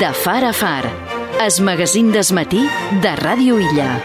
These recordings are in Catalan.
De far a far, es magazín d'esmatí de Ràdio Illa.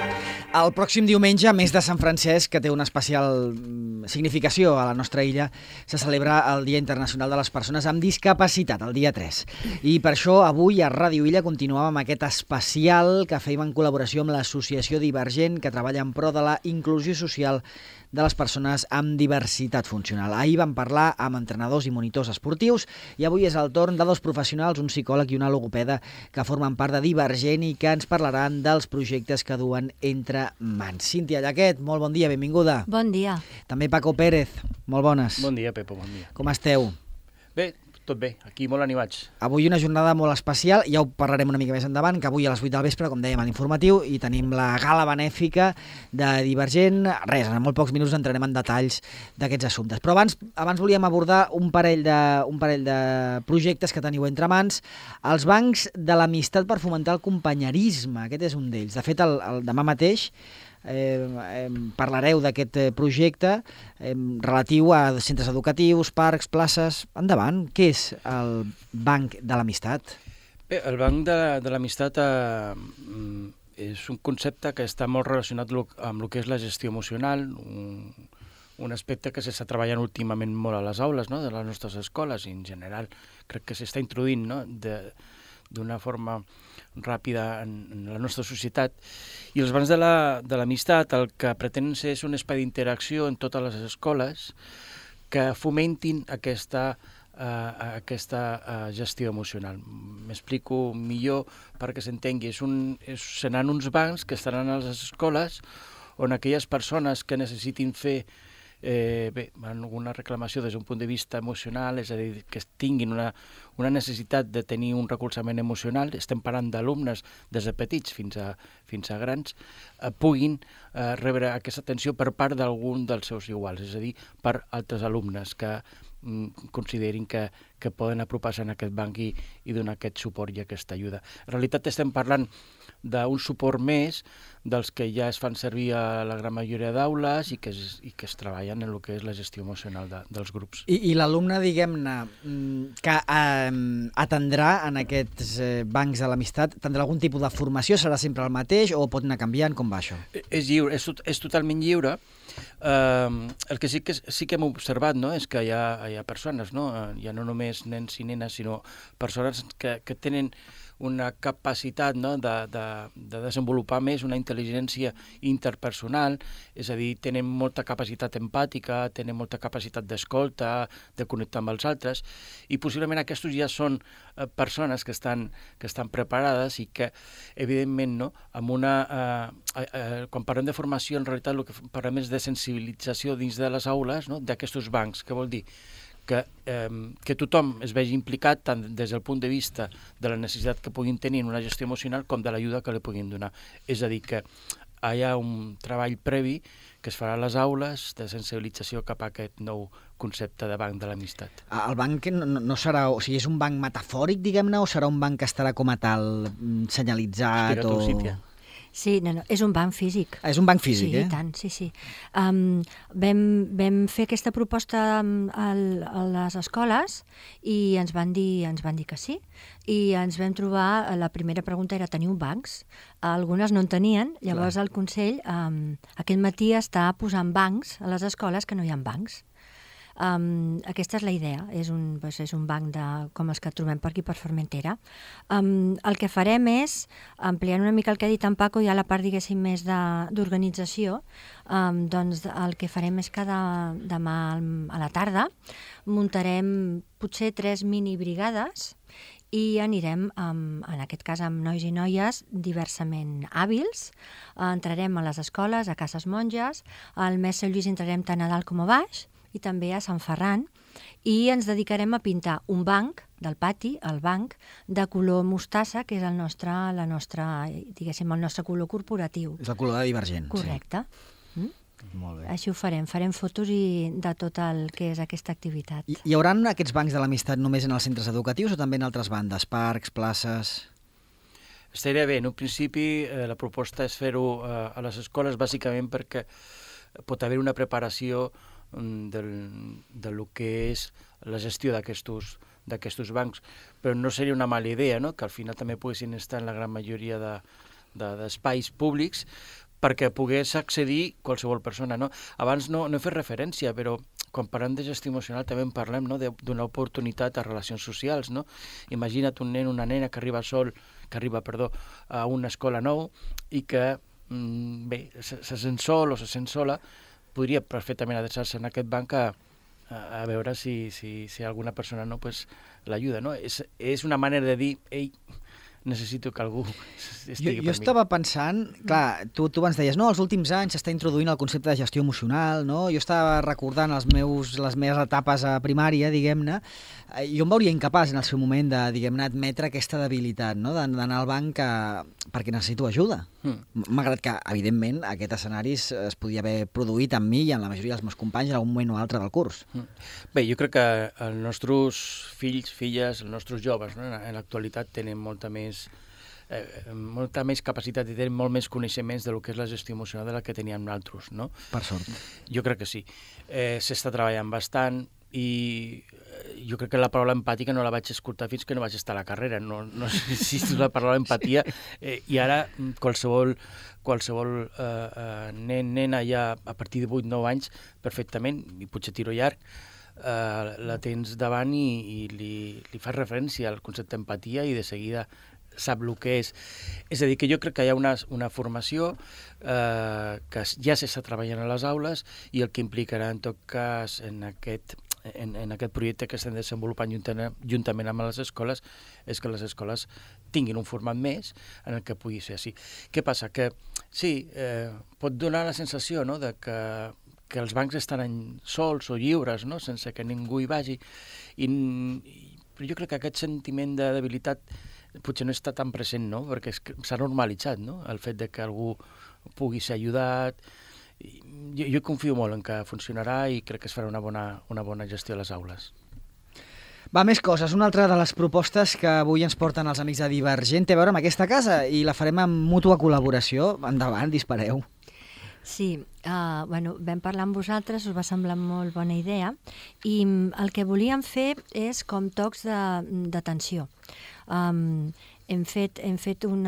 El pròxim diumenge, mes de Sant Francesc, que té una especial significació a la nostra illa, se celebra el Dia Internacional de les Persones amb Discapacitat, el dia 3. I per això avui a Ràdio Illa continuàvem amb aquest especial que fèiem en col·laboració amb l'Associació Divergent, que treballa en pro de la inclusió social de les persones amb diversitat funcional. Ahir vam parlar amb entrenadors i monitors esportius i avui és el torn de dos professionals, un psicòleg i una logopeda, que formen part de Divergent i que ens parlaran dels projectes que duen entre mans. Cíntia Llaquet, molt bon dia, benvinguda. Bon dia. També Paco Pérez, molt bones. Bon dia, Pepo, bon dia. Com esteu? Bé, tot bé, aquí molt animats. Avui una jornada molt especial, ja ho parlarem una mica més endavant, que avui a les 8 del vespre, com dèiem a l'informatiu, i tenim la gala benèfica de Divergent. Res, en molt pocs minuts entrarem en detalls d'aquests assumptes. Però abans volíem abordar un parell de projectes que teniu entre mans. Els bancs de l'amistat per fomentar el companyerisme, aquest és un d'ells. De fet, demà mateix parlareu d'aquest projecte relatiu a centres educatius, parcs, places. Endavant, què és el Banc de l'Amistat? Bé, el Banc de l'Amistat és un concepte que està molt relacionat amb el que és la gestió emocional, un aspecte que s'està treballant últimament molt a les aules, no?, de les nostres escoles, i en general crec que s'està introduint, no?, d'una forma ràpida en la nostra societat. I els bancs de l'amistat el que pretenen ser és un espai d'interacció en totes les escoles que fomentin aquesta gestió emocional. M'explico millor perquè s'entengui. Seran uns bancs que estaran a les escoles on aquelles persones que necessitin fer alguna reclamació des d'un punt de vista emocional, és a dir, que tinguin una necessitat de tenir un recolzament emocional, estem parlant d'alumnes des de petits fins a grans, puguin rebre aquesta atenció per part d'algun dels seus iguals, és a dir, per altres alumnes que considerin que poden apropar-se en aquest banc i donar aquest suport i aquesta ajuda. En realitat estem parlant d'un suport més dels que ja es fan servir a la gran majoria d'aules i que es treballen en el que és la gestió emocional dels grups. I l'alumne, diguem-ne, que atendrà en aquests bancs de l'amistat, tindrà algun tipus de formació? Serà sempre el mateix o pot anar canviant? Com va això? És lliure, és totalment lliure. El que sí que hem observat, no?, és que hi ha persones, no?, ja no només nens i nenes, sinó persones que tenen una capacitat, no?, de desenvolupar més una intel·ligència interpersonal, és a dir, tenen molta capacitat empàtica, tenen molta capacitat d'escolta, de connectar amb els altres, i possiblement aquests ja són persones que estan preparades i que, evidentment, no?, quan parlem de formació, en realitat el que parlem és de sensibilització dins de les aules, no?, d'aquests bancs. Què vol dir? Que tothom es vegi implicat tant des del punt de vista de la necessitat que puguin tenir en una gestió emocional com de l'ajuda que li puguin donar. És a dir, que hi ha un treball previ que es farà a les aules de sensibilització cap a aquest nou concepte de banc de l'amistat. El banc no serà, o sigui, és un banc metafòric, diguem-ne, o serà un banc que estarà com a tal senyalitzat? Explica tu, Cíntia. Sí, no, és un banc físic. És un banc físic, sí, i tant, sí. Vam fer aquesta proposta a les escoles i ens van dir que sí. I ens vam trobar, la primera pregunta era, teniu bancs? Algunes no en tenien, llavors el Consell aquest matí està posant bancs a les escoles que no hi ha bancs. Aquesta és la idea, és un banc com els que trobem per aquí per Formentera. El que farem és, ampliant una mica el que ha dit en Paco, ja la part, diguéssim, més d'organització, doncs el que farem és que demà a la tarda muntarem potser 3 minibrigades i anirem, en aquest cas amb nois i noies diversament hàbils, entrarem a les escoles, a cases monges, al mes Sant Lluís entrarem tant a dalt com a baix, i també a Sant Ferran, i ens dedicarem a pintar un banc del pati, el banc, de color mostassa, que és el nostre color corporatiu. És el color de Divergent. Correcte. Sí. Molt bé. Així ho farem fotos de tot el que és aquesta activitat. Hi haurà aquests bancs de l'amistat només en els centres educatius o també en altres bandes, parcs, places? Estaria bé. En un principi la proposta és fer-ho a les escoles, bàsicament perquè pot haver una preparació del que és la gestió d'aquests d'aquests bancs, però no seria una mala idea, no?, que al final també poguessin estar en la gran majoria d'espais públics perquè pogués accedir qualsevol persona, no? Abans no he fet referència, però quan parlem de gestió emocional també en parlem, no?, de donar oportunitat a relacions socials, no? Imagina't un nen, una nena que arriba a una escola nou i que, se sent sol o se sent sola, podria perfectament adreçar-se en aquest banc a veure si alguna persona no, pues, l'ajuda, no? És una manera de dir, ei, necessito que algú estigui per mi. Jo estava pensant, clar, tu abans deies, no, els últims anys s'està introduint el concepte de gestió emocional, no? Jo estava recordant les meves etapes a primària, diguem-ne, jo em veuria incapaç en el seu moment de, diguem-ne, admetre aquesta debilitat, no?, d'anar al banc perquè necessito ajuda. Malgrat que, evidentment, aquest escenari es podia haver produït amb mi i en la majoria dels meus companys en algun moment o altre del curs. Bé, jo crec que els nostres fills, filles, els nostres joves, no?, en l'actualitat tenen molta més capacitat i tenen molt més coneixements de lo que és la gestió emocional de la que teníem nosaltres, no? Per sort. Jo crec que sí. S'està treballant bastant i jo crec que la paraula empàtica no la vaig escoltar fins que no vaig estar a la carrera. No existe la paraula empatia i ara qualsevol nen, nena ja a partir de 8-9 anys perfectament, i potser tiro llarg, la tens davant i li fas referència al concepte d'empatia i de seguida sap el que és. És a dir, que jo crec que hi ha una formació que ja s'està treballant a les aules i el que implicarà, en tot cas, en aquest projecte que estem desenvolupant juntament amb les escoles és que les escoles tinguin un format més en el que pugui ser així. Què passa? Que sí, pot donar la sensació, no?, de que els bancs estan sols o lliures, no?, sense que ningú hi vagi, però jo crec que aquest sentiment de debilitat potser no està tan present, no?, perquè s'ha normalitzat, no?, el fet de que algú pugui ser ajudat. Jo confio molt en que funcionarà i crec que es farà una bona gestió a les aules. Va, més coses. Una altra de les propostes que avui ens porten els amics de Divergent té a veure amb aquesta casa i la farem en mútua col·laboració. Endavant, dispareu. Sí, vam parlar amb vosaltres, us va semblar molt bona idea i el que volíem fer és com tocs d'atenció. Hem fet un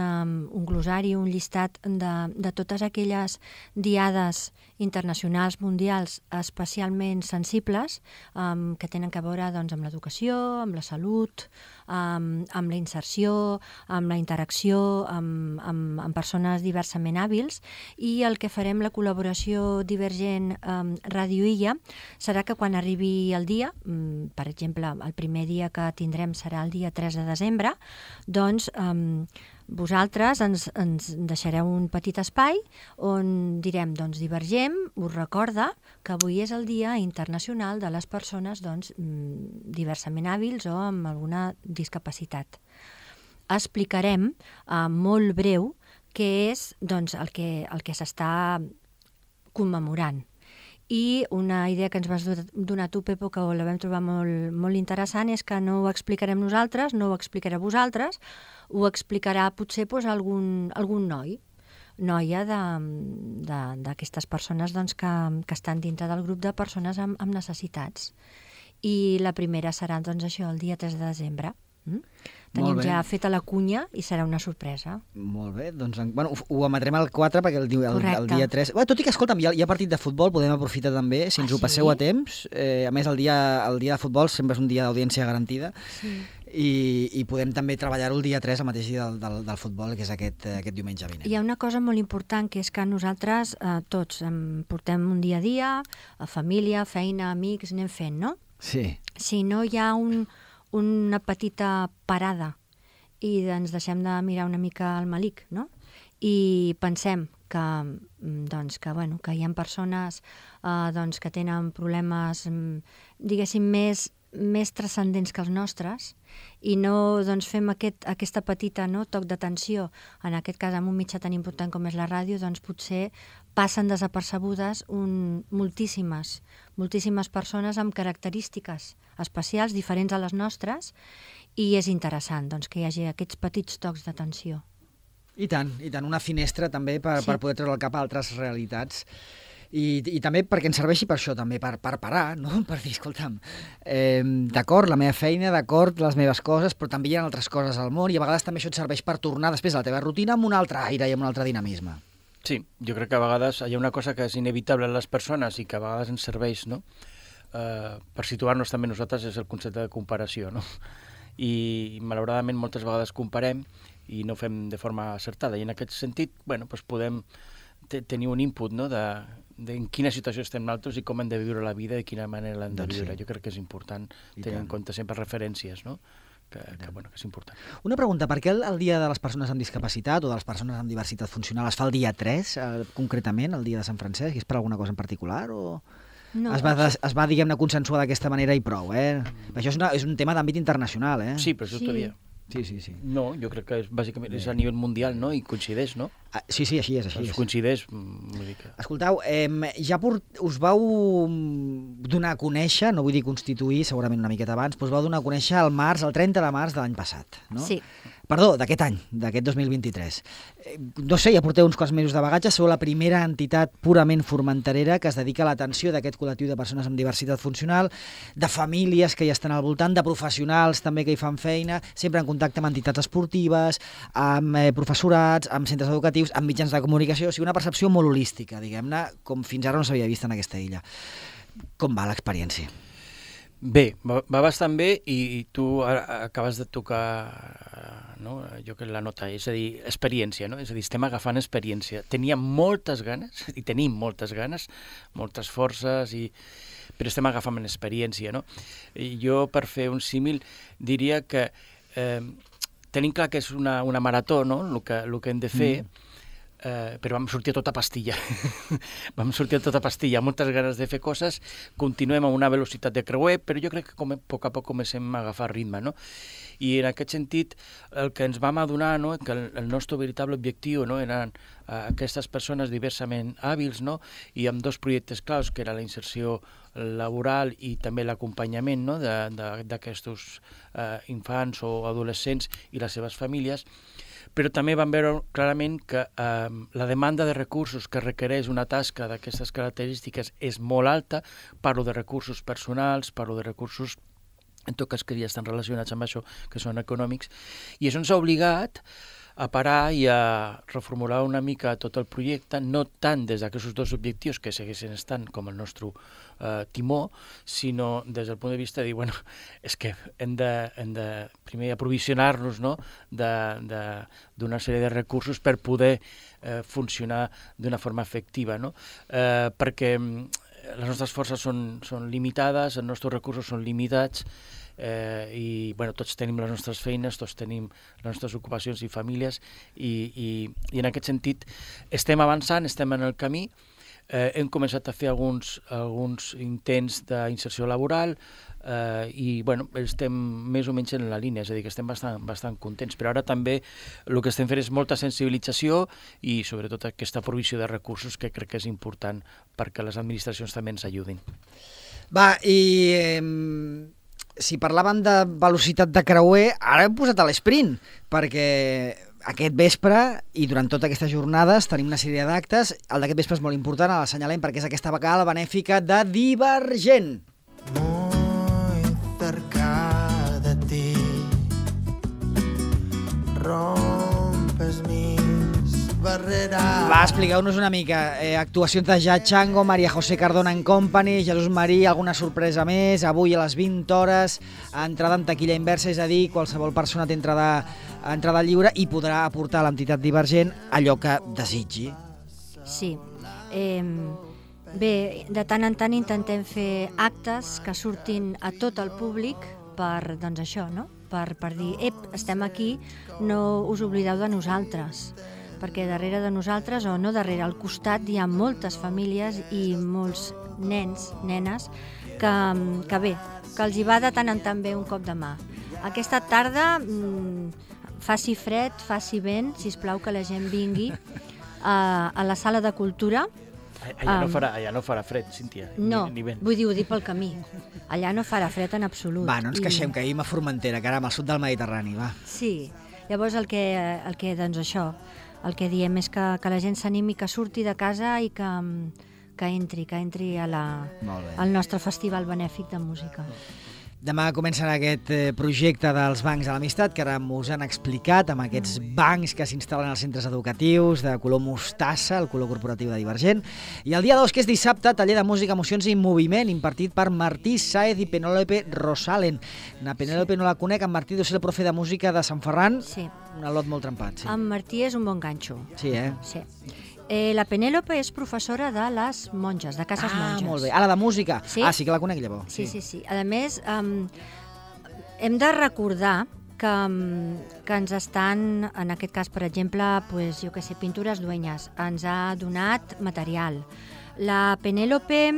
glossari, un llistat de totes aquelles diades internacionals, mundials, especialment sensibles, que tenen a veure amb l'educació, amb la salut, amb la inserció, amb la interacció amb persones diversament hàbils, i el que farem, la col·laboració Divergent Ràdio Illa, serà que quan arribi el dia, per exemple, el primer dia que tindrem serà el dia 3 de desembre, doncs vosaltres ens deixareu un petit espai on direm, doncs, Divergent us recorda que avui és el Dia Internacional de les Persones diversament hàbils o amb alguna discapacitat. Explicarem molt breu què és el que s'està commemorant. I una idea que ens vas donar tu, Pepo, que la vam trobar molt interessant, és que no ho explicarem nosaltres, no ho explicarà vosaltres, ho explicarà potser algun noia d'aquestes persones que estan dintre del grup de persones amb necessitats. I la primera serà això, el dia 3 de desembre. Tenim ja feta la cunya i serà una sorpresa. Molt bé, doncs ho emetrem el 4 perquè el dia 3... Tot i que, escolta'm, hi ha partit de futbol, podem aprofitar també, si ens ho passeu a temps. A més, el dia de futbol sempre és un dia d'audiència garantida. Sí. I podem també treballar-ho el dia 3, el mateix dia del futbol, que és aquest diumenge vinent. Hi ha una cosa molt important, que és que nosaltres tots portem un dia a dia, a família, feina, amics, anem fent, no? Sí. Si no hi ha una petita parada i ens deixem de mirar una mica al malic, no? I pensem que hi ha persones que tenen problemes, diguéssim, més transcendents que els nostres, i no fem aquesta petita toc d'atenció, en aquest cas amb un mitjà tan important com és la ràdio, doncs potser passen desapercebudes moltíssimes persones amb característiques especials, diferents a les nostres, i és interessant que hi hagi aquests petits tocs d'atenció. I tant, una finestra també per poder treure al cap altres realitats. I també perquè ens serveixi per això, també, per parar, no? Per dir, escolta'm, d'acord, la meva feina, d'acord, les meves coses, però també hi ha altres coses al món i a vegades també això et serveix per tornar després a la teva rutina amb un altre aire i amb un altre dinamisme. Sí, jo crec que a vegades hi ha una cosa que és inevitable en les persones i que a vegades ens serveix, no? Per situar-nos també nosaltres és el concepte de comparació, no? I malauradament moltes vegades comparem i no fem de forma acertada i en aquest sentit doncs podem tenir un input, no? de en quina situació estem nosaltres i com hem de viure la vida i de quina manera l'hem de viure. Jo crec que és important tenir en compte sempre referències, no? que és important. Una pregunta, per què el Dia de les Persones amb Discapacitat o de les Persones amb Diversitat Funcional es fa el dia 3, concretament, el dia de Sant Francesc? És per alguna cosa en particular o...? No. Es va diguem-ne, consensuar d'aquesta manera i prou, Això és un tema d'àmbit internacional, Sí, però això t'ho dia. Sí. No, jo crec que bàsicament és a nivell mundial, no? I coincideix, no? Sí, així és. Coincideix. Escolteu, ja us vau donar a conèixer, no vull dir constituir, segurament una miqueta abans, però us vau donar a conèixer el 30 de març de l'any passat, no? Sí. Perdó, d'aquest any, d'aquest 2023. No sé, ja porteu uns quants mesos de bagatge, sou la primera entitat purament formenterera que es dedica a l'atenció d'aquest col·lectiu de persones amb diversitat funcional, de famílies que hi estan al voltant, de professionals també que hi fan feina, sempre en contacte amb entitats esportives, amb professorats, amb centres educatius, amb mitjans de comunicació, o sigui, una percepció molt holística, diguem-ne, com fins ara no s'havia vist en aquesta illa. Com va l'experiència? Bé, va bastant bé i tu acabes de tocar, no? Jo que la nota, és a dir, experiència, no? És a dir, estem agafant experiència. Teníem moltes ganes, i tenim moltes ganes, moltes forces, però estem agafant experiència, no? I jo, per fer un símil, diria que tenim clar que és una marató, no?, el que hem de fer, però vam sortir a tota pastilla. Moltes ganes de fer coses, continuem amb una velocitat de creuer, però jo crec que a poc comencem a agafar ritme, no? I en aquest sentit, el que ens vam adonar, no?, que el nostre veritable objectiu, no?, eren aquestes persones diversament hàbils, no?, i amb dos projectes claus, que era la inserció laboral i també l'acompanyament, no?, d'aquests infants o adolescents i les seves famílies, però també vam veure clarament que la demanda de recursos que requereix una tasca d'aquestes característiques és molt alta. Parlo de recursos personals, parlo de recursos en tot cas que ja estan relacionats amb això, que són econòmics, i això ens ha obligat a parar i a reformular una mica tot el projecte, no tant des d'aquests dos objectius que segueixen estant com el nostre timó, sinó des del punt de vista de dir, bueno, és que hem de primer aprovisionar-nos, no?, d'una sèrie de recursos per poder funcionar d'una forma efectiva, no? Perquè les nostres forces són limitades, els nostres recursos són limitats, i tots tenim les nostres feines, tots tenim les nostres ocupacions i famílies, i en aquest sentit estem avançant, estem en el camí. Hem començat a fer alguns intents d'inserció laboral i estem més o menys en la línia, és a dir, que estem bastant contents, però ara també el que estem fent és molta sensibilització i sobretot aquesta provisió de recursos que crec que és important perquè les administracions també ens ajudin. Va, i si parlàvem de velocitat de creuer, ara hem posat a l'esprint, perquè aquest vespre i durant totes aquestes jornades tenim una sèrie d'actes. El d'aquest vespre és molt important, l'assenyalem perquè és aquesta vegada benèfica de Divergent. Muy cerca de ti rompes mis barreras. Va, expliqueu-nos una mica. Actuacions de Ja Chango, Maria José Cardona and Company, Jesús Marí, alguna sorpresa més, avui a les 20 hores, entrada en taquilla inversa, és a dir, qualsevol persona té entrada lliure i podrà aportar a l'entitat Divergent allò que desitgi. Sí. Bé, de tant en tant intentem fer actes que surtin a tot el públic per, doncs això, no?, per dir, estem aquí, no us oblideu de nosaltres, perquè darrere de nosaltres, o no darrere, al costat hi ha moltes famílies i molts nens, nenes, que bé, que els hi va de tant en tant bé un cop de mà. Aquesta tarda, faci fred, faci vent, sisplau que la gent vingui a la sala de cultura. Allà no farà fred, Cíntia, no, ni vent. Vull dir, ho dic pel camí. Allà no farà fred en absolut. Va, no ens queixem, que ahir a Formentera, caram, al sud del Mediterrani, va. Sí, llavors el que doncs això, el que diem és que la gent s'animi, que surti de casa i que entri Molt bé. al nostre festival benèfic de música. Demà començarà aquest projecte dels bancs de l'amistat, que ara us han explicat, amb aquests bancs que s'instal·len als centres educatius de color mostassa, el color corporatiu de Divergent. I el dia 2, que és dissabte, taller de música, emocions i moviment, impartit per Martí Sáez i Penélope Rosalen. Na Penélope no la conec, en Martí deu ser el profe de música de Sant Ferran, Sí. un al·lot molt trempat. Sí, En Martí és un bon ganxo. sí Sí. La Penélope és professora de les monges, de cases monges. Molt bé. Ara de música. Sí? Ah, sí que la conec, llavors. Sí. A més, hem de recordar que ens estan, en aquest cas, per exemple, pues, jo què sé, Pintures Dueñas, ens ha donat material. La Penélope,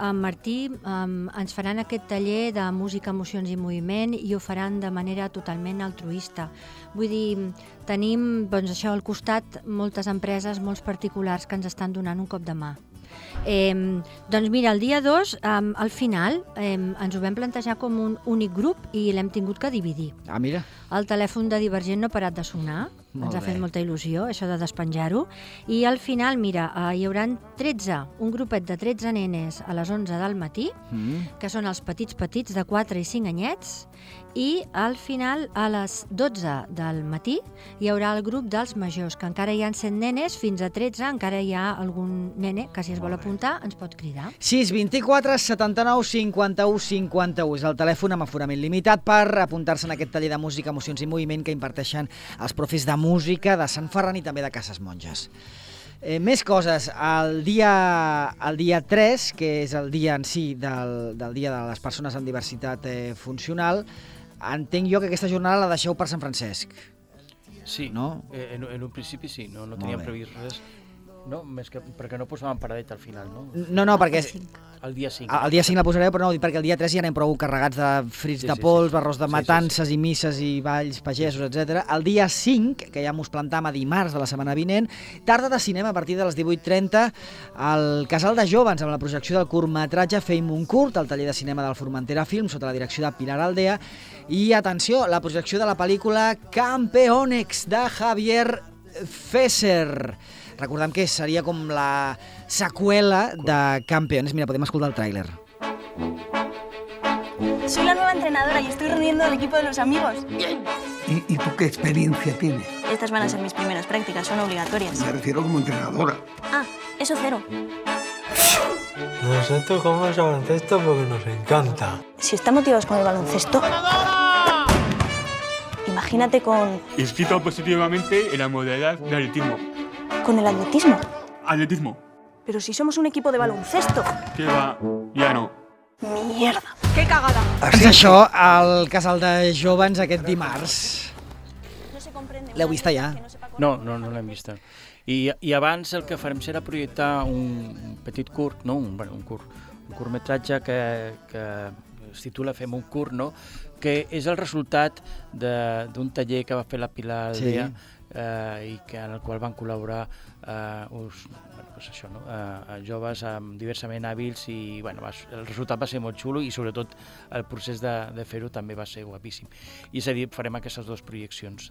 en Martí, ens faran aquest taller de música, emocions i moviment i ho faran de manera totalment altruista. Vull dir, tenim doncs, això al costat moltes empreses, molts particulars que ens estan donant un cop de mà. Doncs mira, el dia 2, al final, ens ho vam plantejar com un únic grup i l'hem tingut que dividir. Ah, mira. El telèfon de Divergent no ha parat de sonar, Molt ens ha bé. fet molta il·lusió, això de despenjar-ho, i al final, mira, hi haurà 13, un grupet de 13 nenes a les 11 del matí, que són els petits de 4 i 5 anyets, i al final, a les 12 del matí, hi haurà el grup dels majors, que encara hi ha 100 nenes, fins a 13 encara hi ha algun nene que si es vol apuntar ens pot cridar. 6 24 79 51 51 és el telèfon amb aforament limitat per apuntar-se en aquest taller de música, emocions i moviment que imparteixen els profes de música de Sant Ferran i també de Cases Monges. Més coses, el dia 3, que és el dia en si del dia de les persones amb diversitat funcional, entenc jo que aquesta jornada la deixeu per Sant Francesc. Sí, No? en un principi sí, no teníem bé. previst res, no, més que perquè no posàvem paradeta al final, no? No, perquè El dia 5. el dia 5 la posareu, però no, perquè el dia 3 ja anem prou carregats de frits de pols, arròs de matances i misses i balls pagesos, etc. El dia 5, que ja mos plantam a dimarts de la setmana vinent, tarda de cinema a partir de les 18:30 al Casal de Jóvens, amb la projecció del curtmetratge Feim un curt, al taller de cinema del Formentera Film, sota la direcció de Pilar Aldea, i, atenció, la projecció de la pel·lícula Campeonex, de Javier Fesser. Recordem que seria com la seqüela de Campeones. Mira, podem escoltar el tràiler. Soy la nueva entrenadora y estoy reuniendo al equipo de los amigos. ¿Y tú qué experiencia tienes? Estas van a ser mis primeras prácticas, son obligatorias. Me refiero como entrenadora. Ah, eso cero. Nosotros jugamos al baloncesto porque nos encanta. Si están motivados con el baloncesto, imagínate con Inscrito positivamente en la modalidad de atletismo. el atletismo. Atletismo. Pero si somos un equipo de baloncesto. Que va, ya no. Mierda. ¡Qué cagada! És això, al Casal de Jóvens aquest dimarts. No se comprende. L'heu vista ja? No l'hem vista. I abans el que farem serà projectar un petit curt, no? un curtmetratge que es titula Fem un curt, no? Que és el resultat d'un taller que va fer la Pilar Aldea, i que en el qual van col·laborar joves diversament hàbils i el resultat va ser molt xulo i sobretot el procés de fer-ho també va ser guapíssim. I és a dir, farem aquestes dues projeccions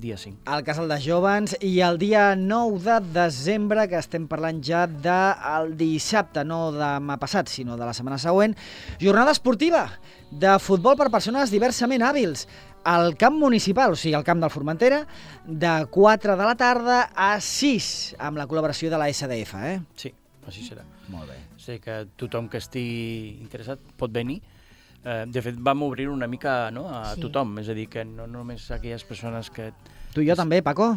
dia 5. Al Casal de Jóvens, i el dia 9 de desembre, que estem parlant ja del dissabte, no demà passat, sinó de la setmana següent, jornada esportiva de futbol per persones diversament hàbils al camp municipal, o sigui, al camp del Formentera, de 4 de la tarda a 6, amb la col·laboració de la SDF, Sí, així serà. Molt bé. Sé que tothom que estigui interessat pot venir. De fet, vam obrir una mica a tothom, és a dir, que no només aquelles persones que... Tu i jo també, Paco?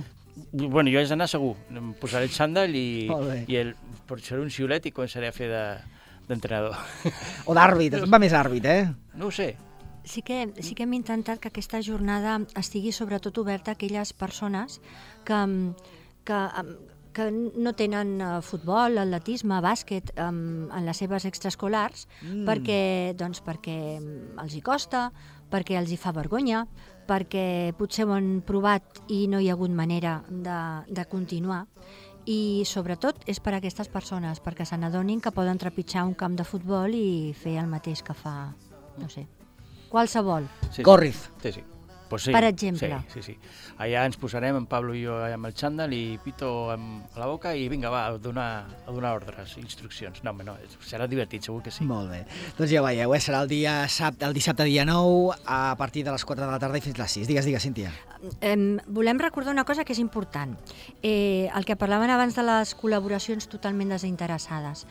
Bueno, jo haig d'anar segur. Em posaré el xandall i seré un xiulet i començaré a fer d'entrenador. O d'àrbit, va més àrbit, No ho sé. Sí que hem intentat que aquesta jornada estigui sobretot oberta a aquelles persones que no tenen futbol, atletisme, bàsquet en les seves extraescolars perquè els hi costa, perquè els hi fa vergonya, perquè potser ho han provat i no hi ha hagut manera de continuar. I sobretot és per a aquestes persones, perquè se n'adonin que poden trepitjar un camp de futbol i fer el mateix que fa, no sé, qualsevol. Corriz. Sí. Pues sí, per exemple. Sí. Allà ens posarem, en Pablo i jo, amb el xandall i Pito a la boca i vinga, va, a donar ordres, instruccions. No, serà divertit, segur que sí. Molt bé. Doncs ja ho veieu, serà el dissabte dia 9 a partir de les 4 de la tarda i fins les 6. Digues, Cíntia. Volem recordar una cosa que és important. El que parlaven abans de les col·laboracions totalment desinteressades.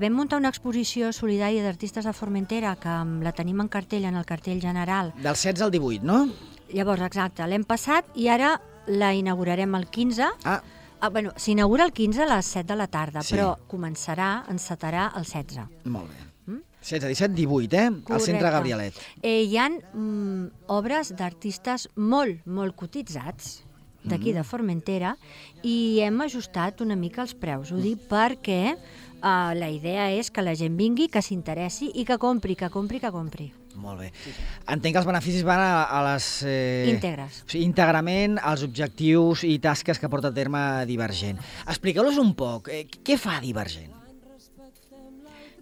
Vam muntar una exposició solidària d'artistes de Formentera que la tenim en cartell, en el cartell general. Del 16 al 18, no? Llavors, exacte, l'hem passat i ara la inaugurarem el 15. Bueno, s'inaugura el 15 a les 7 de la tarda, sí. Però encetarà el 16. Molt bé. 16, 17, 18, al Centre Gabrielet. Hi ha obres d'artistes molt cotitzats d'aquí de Formentera i hem ajustat una mica els preus. Ho dic perquè la idea és que la gent vingui, que s'interessi i que compri. Molt bé. Entenc que els beneficis van a les... íntegres. O sigui, íntegrament als objectius i tasques que porta a terme Divergent. Expliqueu-los un poc. Què fa Divergent?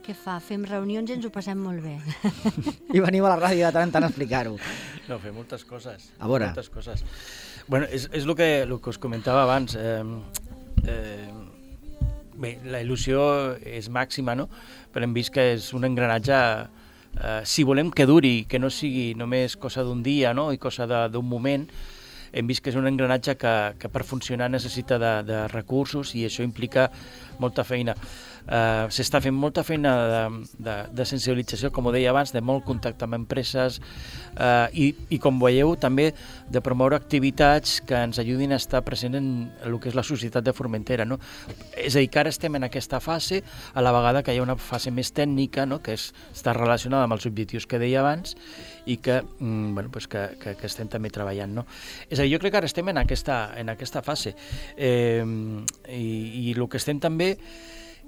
Què fa? Fem reunions i ens ho passem molt bé. I veniu a la ràdio de tant en tant a explicar-ho. No, fem moltes coses. A veure. Moltes coses. Bueno, és el que us comentava abans. Bé, la il·lusió és màxima, no? Però hem vist que és un engranatge... si volem que duri, que no sigui només cosa d'un dia, no? I cosa d'un moment, hem vist que és un engranatge que per funcionar necessita de recursos i això implica molta feina. S'està fent molta feina de sensibilització, com ho deia abans, de molt contacte amb empreses i com veieu també de promoure activitats que ens ajudin a estar present en el que és la societat de Formentera, no? És a dir, que ara estem en aquesta fase, a la vegada que hi ha una fase més tècnica, no? Que està relacionada amb els objectius que deia abans i que estem també treballant, no? És a dir, jo crec que ara estem en aquesta fase i el que estem també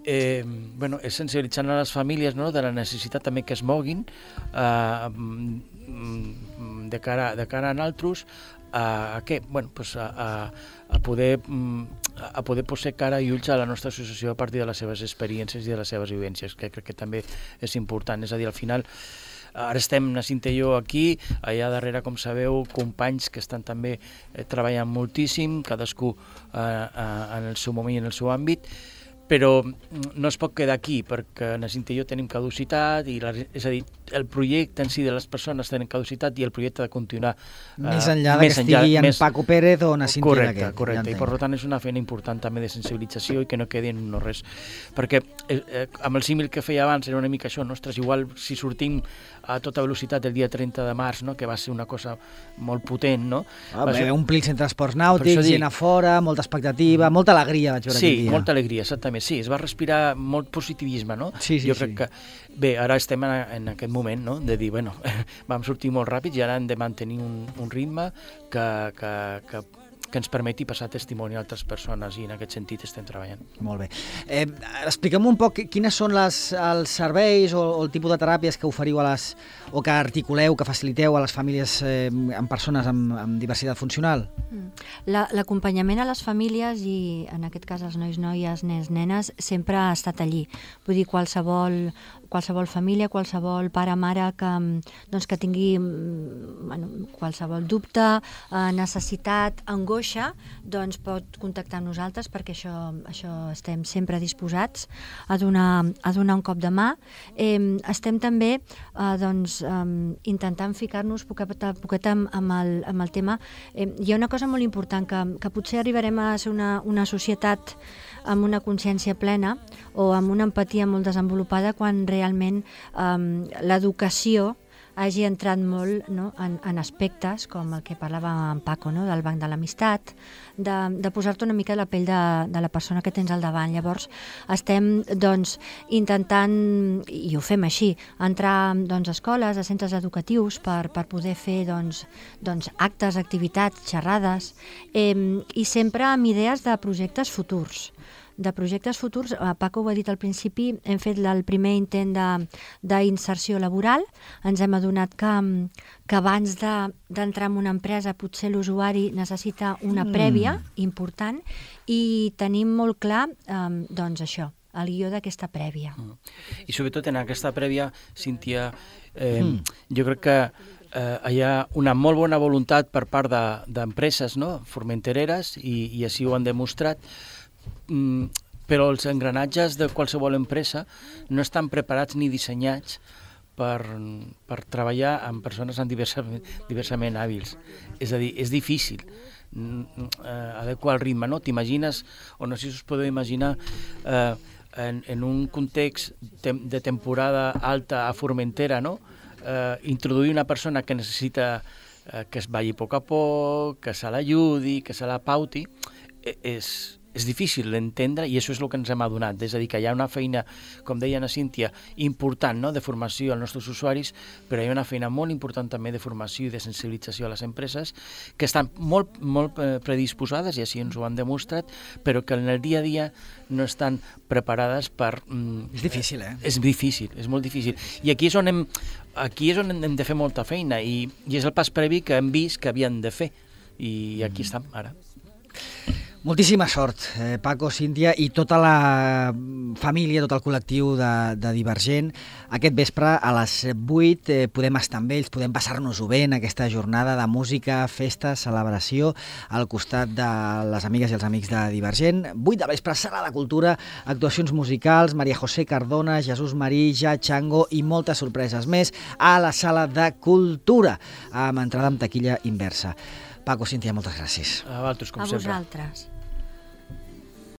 és sensibilitzant a les famílies, no? De la necessitat també que es moguin de cara a nosaltres a poder posar cara i ulls a la nostra associació a partir de les seves experiències i de les seves vivències, que crec que també és important. És a dir, al final ara estem, na Cinta i jo, aquí, allà darrere, com sabeu, companys que estan també treballant moltíssim, cadascú en el seu moment i en el seu àmbit, però no es pot quedar aquí, perquè na Cinta i jo tenim caducitat, és a dir, el projecte en si de les persones tenen caducitat i el projecte ha de continuar més enllà que estigui en Paco Pérez o na Cinta i aquest. Correcte, i per tant és una feina important també de sensibilització i que no quedi en no res, perquè amb el símil que feia abans era una mica això, ostres, igual si sortim a tota velocitat el dia 30 de març, no? Que va ser una cosa molt potent, no? Omplir els centres esports nàutics, gent a fora, molta expectativa, molta alegria vaig veure aquell dia. Sí, molta alegria, exactament, sí, es va respirar molt positivisme, no? Sí. Jo crec que, bé, ara estem en aquest moment, no?, de dir, bueno, vam sortir molt ràpids i ara hem de mantenir un ritme que ens permeti passar testimoni a altres persones i en aquest sentit estem treballant. Molt bé. Expliquem un poc quines són els serveis o el tipus de teràpies que oferiu o que articuleu, que faciliteu a les famílies amb persones amb diversitat funcional. L'acompanyament a les famílies i en aquest cas els nois, noies, nens, nenes sempre ha estat allí. Vull dir, qualsevol família, qualsevol pare, mare que tingui qualsevol dubte, necessitat, angoixa, doncs pot contactar amb nosaltres perquè això estem sempre disposats a donar un cop de mà. Estem també intentant ficar-nos poquet amb el tema. Hi ha una cosa molt important, que potser arribarem a ser una societat amb una consciència plena o amb una empatia molt desenvolupada quan realment l'educació hagi entrat molt, no, en aspectes com el que parlava en Paco, no, del banc de l'amistat, de posar-te una mica la pell de la persona que tens al davant. Llavors estem intentant, i ho fem així, entrar a escoles, a centres educatius per poder fer actes, activitats, xerrades, i sempre amb idees de projectes futurs. Paco ho ha dit al principi, hem fet el primer intent d'inserció laboral, ens hem adonat que abans d'entrar en una empresa potser l'usuari necessita una prèvia important i tenim molt clar això, el guió d'aquesta prèvia. I sobretot en aquesta prèvia, Cíntia, jo crec que hi ha una molt bona voluntat per part d'empreses, no? Formentereres, i així ho han demostrat, però els engranatges de qualsevol empresa no estan preparats ni dissenyats per treballar amb persones diversament hàbils. És a dir, és difícil adequar el ritme, no? T'imagines, o no sé si us podeu imaginar, en un context de temporada alta a Formentera, no? Introduir una persona que necessita que es balli a poc a poc, que se l'ajudi, que se la pauti, és difícil d'entendre, i això és el que ens hem adonat. És a dir, que hi ha una feina, com deia la Cíntia, important, no?, de formació als nostres usuaris, però hi ha una feina molt important també de formació i de sensibilització a les empreses, que estan molt predisposades, i així ens ho han demostrat, però que en el dia a dia no estan preparades per... És difícil, És difícil, és molt difícil. I aquí és on hem de fer molta feina, i és el pas previ que hem vist que havien de fer, i aquí estem ara. Moltíssima sort, Paco, Cíntia i tota la família, tot el col·lectiu de Divergent. Aquest vespre a les 8 podem estar amb ells, podem passar-nos-ho bé en aquesta jornada de música, festa, celebració al costat de les amigues i els amics de Divergent. 8 de vespre, Sala de Cultura, actuacions musicals, Maria José Cardona, Jesús Marí, Ja Chango i moltes sorpreses més a la Sala de Cultura, amb entrada amb taquilla inversa. Paco, Cíntia, moltes gràcies. A vosaltres, com sempre. sempre. A vosaltres.